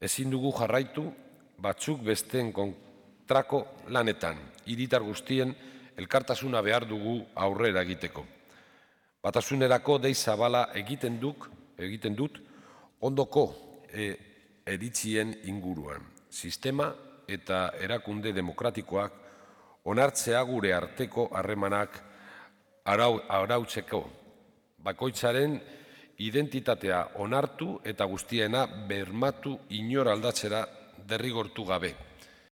Ezin dugu jarraitu batzuk besteen kontrako lanetan, hiritar guztien elkartasuna behar dugu aurrera egiteko. Batasunerako dei zabala egiten dut ondoko eritzien inguruan. Sistema eta erakunde demokratikoak onartzea gure arteko harremanak arautzeko. Bakoitzaren identitatea onartu eta guztiena bermatu inor aldatzera derrigortu gabe.